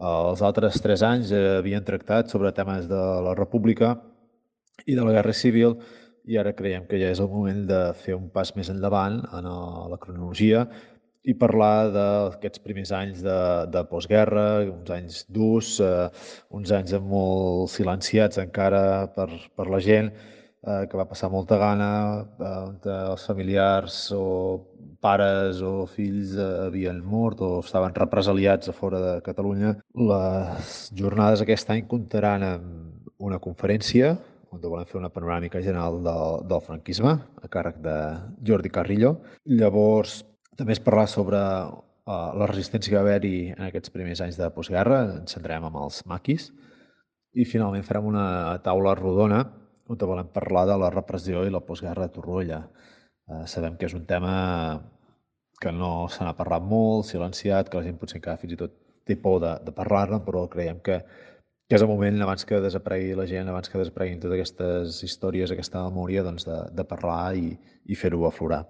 Els altres 3 anys havien tractat sobre temes de la república i de la guerra civil, i ara creiem que ja és el moment de fer un pas més endavant en la cronologia i parlar d'aquests primers anys de postguerra, uns anys durs, uns anys molt silenciats encara per la gent, que va passar molta gana, on els familiars o pares o fills havien mort o estaven represaliats a fora de Catalunya. Les jornades aquest any comptaran amb una conferència on volem fer una panoràmica general del franquisme, a càrrec de Jordi Carrillo. Llavors, també es parlarà sobre la resistència que va haver-hi en aquests primers anys de postguerra, ens centrarem amb els maquis, i finalment farem una taula rodona on volem parlar de la repressió i la postguerra a Torroella. Sabem que és un tema que no se n'ha parlat molt, silenciat, que la gent potser encara fins i tot té por de parlar-ne, però creiem que és el moment, abans que desaparegui la gent, abans que desapareguin totes aquestes històries, aquesta memòria, doncs de parlar i fer-ho aflorar.